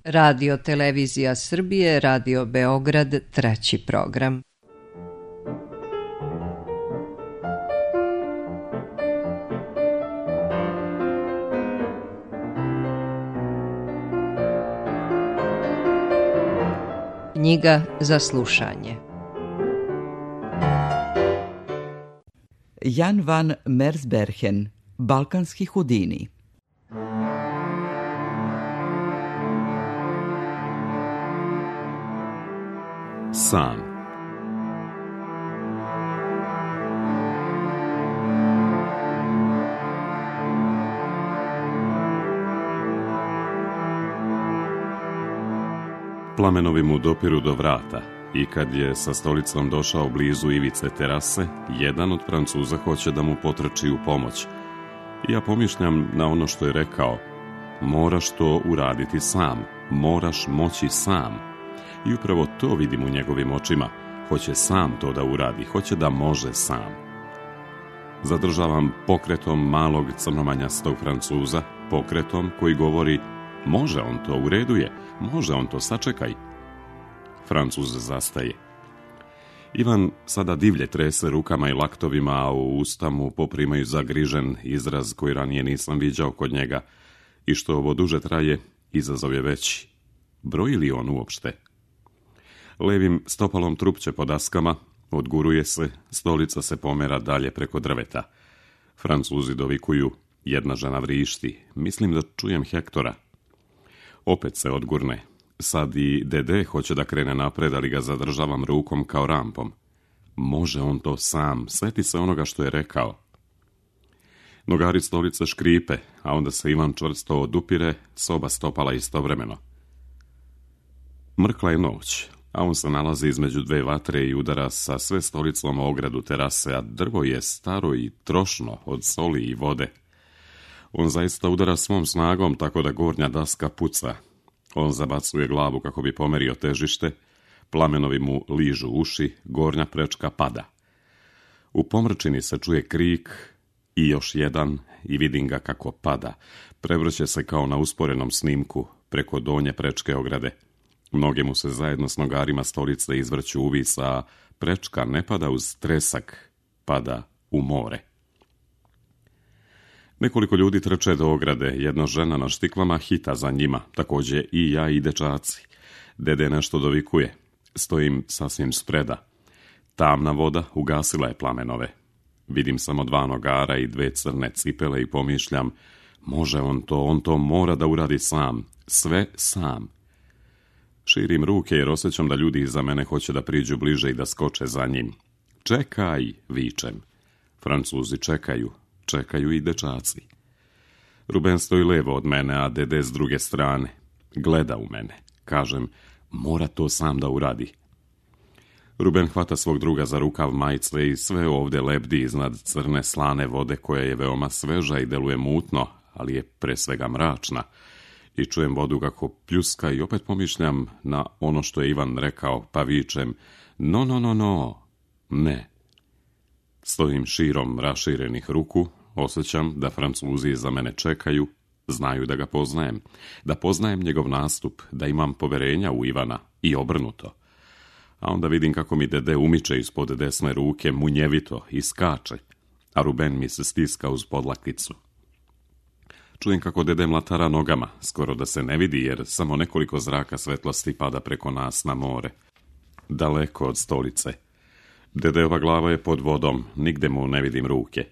Radio Televizija Srbije, Radio Beograd, 3. program. Knjiga za slušanje. Jan van Mersbergen, Balkanski Hudini. Sam. Plamenovi mu dopiru do vrata i kad je sa stolicom došao blizu ivice terase, jedan od Francuza hoće da mu potrči u pomoć. Ja pomišljam na ono što je rekao: moraš to uraditi sam, moraš moći sam. I upravo to vidim u njegovim očima. Hoće sam to da uradi, hoće da može sam. Zadržavam pokretom malog crnomanjastog Francuza, pokretom koji govori: može on to, u redu je, može on to, sačekaj. Francuz zastaje. Ivan sada divlje trese rukama i laktovima, a u usta mu poprimaju zagrižen izraz koji ranije nisam viđao kod njega. I što ovo duže traje, izazov je veći. Broji li on uopšte? Levim stopalom trupće po daskama, odguruje se, stolica se pomera dalje preko drveta. Francuzi dovikuju: jedna žena vrišti, mislim da čujem Hektora. Opet se odgurne. Sad i Dede hoće da krene napred, ali ga zadržavam rukom kao rampom. Može on to sam, seti se onoga što je rekao. Nogari stolice škripe, a onda se Ivan čvrsto odupire, s oba stopala istovremeno. Mrkla je noć, a on se nalazi između dve vatre i udara sa sve stolicom o ogradu terase, a drvo je staro i trošno od soli i vode. On zaista udara svom snagom, tako da gornja daska puca. On zabacuje glavu kako bi pomerio težište, plamenovi mu ližu uši, gornja prečka pada. U pomrčini se čuje krik i još jedan i vidim ga kako pada. Prevrće se kao na usporenom snimku preko donje prečke ograde. Noge mu se zajedno s nogarima stolice izvrću uvis, a prečka ne pada uz tresak, pada u more. Nekoliko ljudi trče do ograde, jedna žena na štiklama hita za njima, također i ja i dečaci. Dede nešto dovikuje, stojim sasvim spreda. Tamna voda ugasila je plamenove. Vidim samo dva nogara i dve crne cipele i pomišljam: može on to mora da uradi sam, sve sam. Širim ruke jer osjećam da ljudi iza mene hoće da priđu bliže i da skoče za njim. Čekaj, vičem. Francuzi čekaju i dečaci. Ruben stoji levo od mene, a Dede s druge strane. Gleda u mene. Kažem: mora to sam da uradi. Ruben hvata svog druga za rukav majice i sve ovdje lebdi iznad crne slane vode koja je veoma sveža i deluje mutno, ali je pre svega mračna. I čujem vodu kako pljuska i opet pomišljam na ono što je Ivan rekao, pa vičem: no, ne. Stojim širom raširenih ruku, osjećam da Francuzi iza mene čekaju, znaju da ga poznajem, da poznajem njegov nastup, da imam poverenja u Ivana i obrnuto. A onda vidim kako mi Dede umiče ispod desne ruke munjevito i skače, a Ruben mi se stiska uz podlakticu. Čujem kako Dede mlatara nogama, skoro da se ne vidi jer samo nekoliko zraka svetlosti pada preko nas na more. Daleko od stolice. Dedeova glava je pod vodom, nigde mu ne vidim ruke.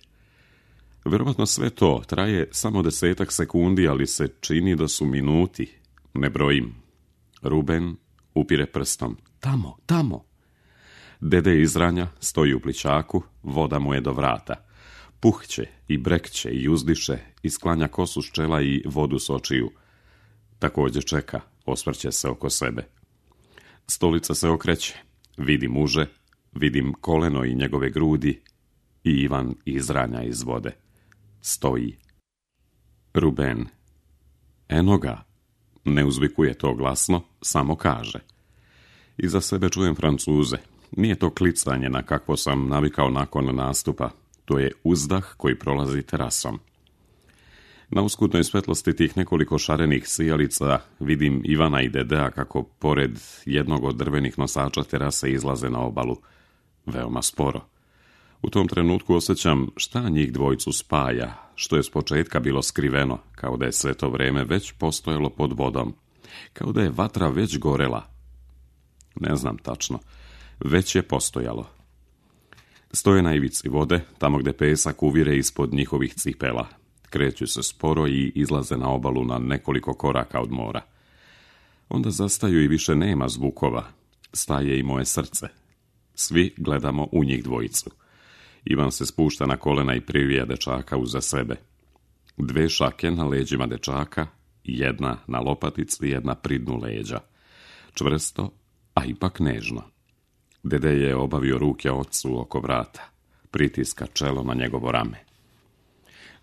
Verovatno sve to traje samo 10 sekundi, ali se čini da su minuti. Ne brojim. Ruben upire prstom. Tamo. Dede izranja, stoji u plićaku, voda mu je do vrata. Puhće i brekće i uzdiše i sklanja kosu s čela i vodu s očiju. Također čeka, osvrće se oko sebe. Stolica se okreće. Vidim uže, vidim koleno i njegove grudi i Ivan izranja iz vode. Stoji. Ruben. Eno ga. Ne uzvikuje to glasno, samo kaže. Iza sebe čujem Francuze. Nije to klicanje na kakvo sam navikao nakon nastupa. To je uzdah koji prolazi terasom. Na uskutnoj svetlosti tih nekoliko šarenih sijalica vidim Ivana i Dedea kako pored jednog od drvenih nosača terase izlaze na obalu. Veoma sporo. U tom trenutku osjećam šta njih dvojicu spaja, što je s početka bilo skriveno, kao da je sve to vreme već postojalo pod vodom, kao da je vatra već gorela. Ne znam tačno, već je postojalo. Stoje na ivici vode, tamo gde pesak uvire ispod njihovih cipela. Kreću se sporo i izlaze na obalu na nekoliko koraka od mora. Onda zastaju i više nema zvukova. Staje i moje srce. Svi gledamo u njih dvojicu. Ivan se spušta na kolena i privija dečaka uza sebe. 2 šake na leđima dečaka, jedna na lopatici, jedna pri dnu leđa. Čvrsto, a ipak nežno. Dede je obavio ruke ocu oko vrata. Pritiska čelo na njegovo rame.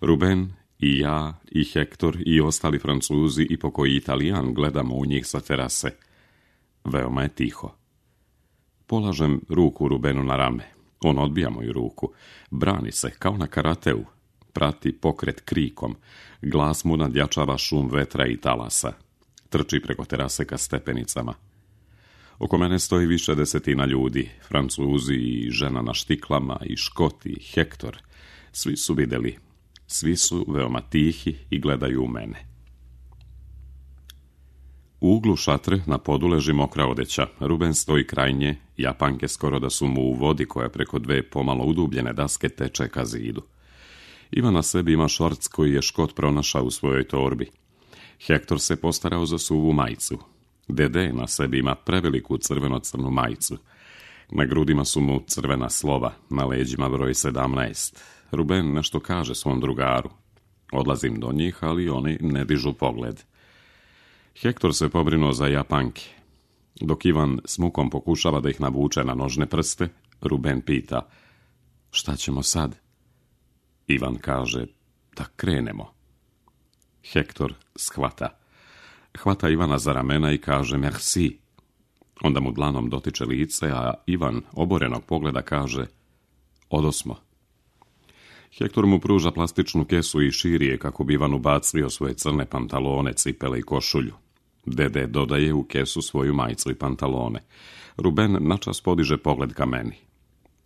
Ruben i ja i Hektor i ostali Francuzi i pokoji Italijan gledamo u njih sa terase. Veoma je tiho. Polažem ruku Rubenu na rame. On odbija moju ruku. Brani se, kao na karateu. Prati pokret krikom. Glas mu nadjačava šum vetra i talasa. Trči preko terase ka stepenicama. Oko mene stoji više desetina ljudi. Francuzi i žena na štiklama i Škoti i Hektor. Svi su vidjeli. Svi su veoma tihi i gledaju u mene. U uglu šatre na podu leži mokra odeća. Ruben stoji kraj nje, Japanke skoro da su mu u vodi koja preko 2 pomalo udubljene daske teče ka zidu. Ivan na sebi ima šorc koji je Škot pronašao u svojoj torbi. Hektor se postarao za suvu majicu. Dede na sebi ima preveliku crveno-crnu majicu. Na grudima su mu crvena slova, na leđima broj 17. Ruben nešto kaže svom drugaru. Odlazim do njih, ali oni ne dižu pogled. Hektor se pobrinuo za Japanke. Dok Ivan s mukom pokušava da ih navuče na nožne prste, Ruben pita: šta ćemo sad? Ivan kaže: da krenemo. Hektor shvata. Hvata Ivana za ramena i kaže merci. Onda mu dlanom dotiče lice, a Ivan oborenog pogleda kaže: odosmo. Hektor mu pruža plastičnu kesu i širi je kako bi Ivan ubacio svoje crne pantalone, cipele i košulju. Dede dodaje u kesu svoju majicu i pantalone. Ruben načas podiže pogled ka meni.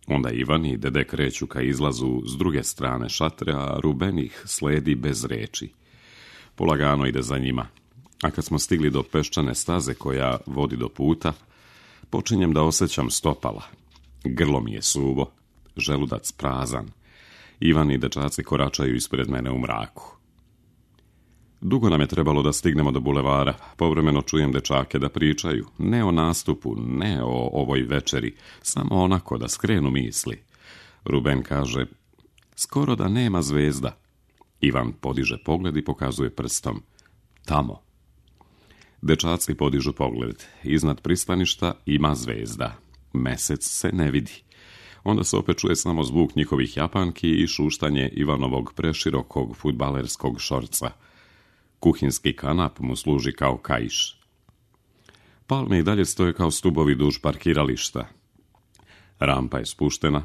Onda Ivan i Dede kreću ka izlazu s druge strane šatre, a Ruben ih sledi bez reči. Polagano ide za njima. A kad smo stigli do peščane staze koja vodi do puta, počinjem da osjećam stopala. Grlo mi je suvo, želudac prazan. Ivan i dečaci koračaju ispred mene u mraku. Dugo nam je trebalo da stignemo do bulevara. Povremeno čujem dečake da pričaju. Ne o nastupu, ne o ovoj večeri, samo onako da skrenu misli. Ruben kaže: skoro da nema zvezda. Ivan podiže pogled i pokazuje prstom: tamo. Dečaci podižu pogled. Iznad pristaništa ima zvezda. Mesec se ne vidi. Onda se opet čuje samo zvuk njihovih Japanki i šuštanje Ivanovog preširokog fudbalerskog šorca. Kuhinski kanap mu služi kao kaiš. Palme i dalje stoje kao stubovi duž parkirališta. Rampa je spuštena.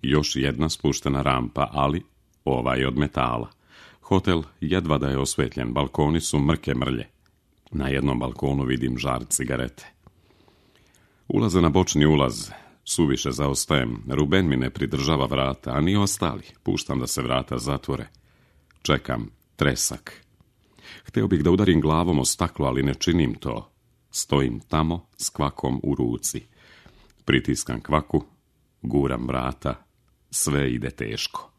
Još jedna spuštena rampa, ali ova je od metala. Hotel jedva da je osvetljen, balkoni su mrke mrlje. Na jednom balkonu vidim žar cigarete. Ulaze na bočni ulaz. Suviše zaostajem. Ruben mi ne pridržava vrata, a ni ostali. Puštam da se vrata zatvore. Čekam tresak. Hteo bih da udarim glavom o staklo, ali ne činim to. Stojim tamo s kvakom u ruci. Pritiskam kvaku, guram vrata. Sve ide teško.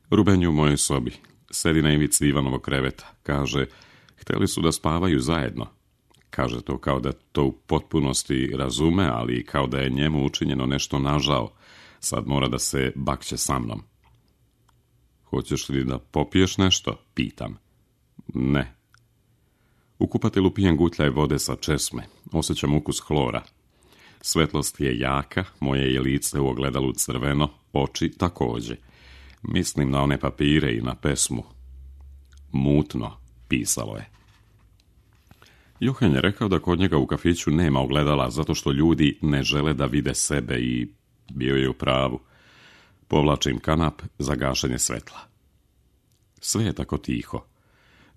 Ruben je u mojoj sobi. Sedi na ivici Ivanovog kreveta. Kaže: hteli su da spavaju zajedno. Kaže to kao da to u potpunosti razume, ali kao da je njemu učinjeno nešto nažao. Sad mora da se bakće sa mnom. Hoćeš li da popiješ nešto? Pitam. Ne. U kupatilu pijem gutljaj vode sa česme. Osjećam ukus hlora. Svetlost je jaka, moje je lice u ogledalu crveno, oči takođe. Mislim na one papire i na pesmu. Mutno, pisalo je. Johan je rekao da kod njega u kafiću nema ogledala zato što ljudi ne žele da vide sebe i bio je u pravu. Povlačim kanap za gašenje svetla. Sve je tako tiho.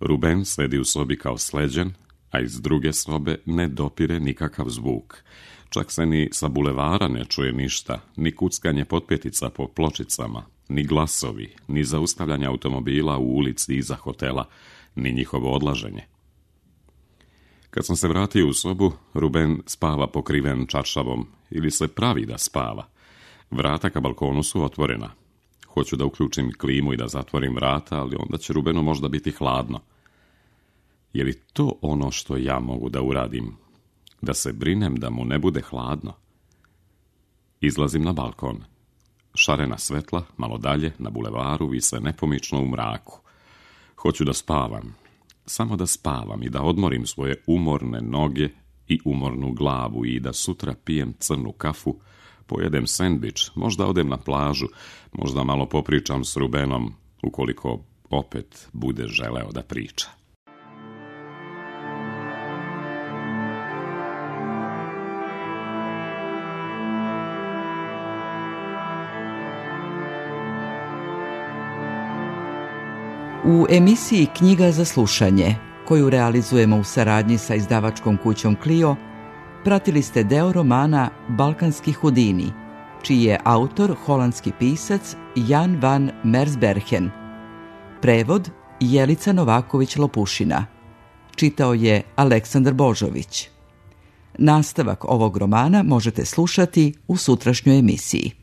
Ruben sedi u sobi kao sleđen, a iz druge sobe ne dopire nikakav zvuk. Čak se ni sa bulevara ne čuje ništa, ni kuckanje potpetica po pločicama, ni glasovi, ni zaustavljanje automobila u ulici iza hotela, ni njihovo odlaženje. Kad sam se vratio u sobu, Ruben spava pokriven čaršavom ili se pravi da spava. Vrata ka balkonu su otvorena. Hoću da uključim klimu i da zatvorim vrata, ali onda će Rubenu možda biti hladno. Je li to ono što ja mogu da uradim? Da se brinem da mu ne bude hladno? Izlazim na balkon. Šarena svetla, malo dalje, na bulevaru, vise nepomično u mraku. Hoću da spavam. Samo da spavam i da odmorim svoje umorne noge i umornu glavu i da sutra pijem crnu kafu, pojedem sendvič, možda odem na plažu, možda malo popričam s Rubenom, ukoliko opet bude želeo da priča. U emisiji Knjiga za slušanje, koju realizujemo u saradnji sa izdavačkom kućom Clio, pratili ste deo romana Balkanski Hudini, čiji je autor holandski pisac Jan van Mersbergen. Prevod Jelica Novaković-Lopušina. Čitao je Aleksandar Božović. Nastavak ovog romana možete slušati u sutrašnjoj emisiji.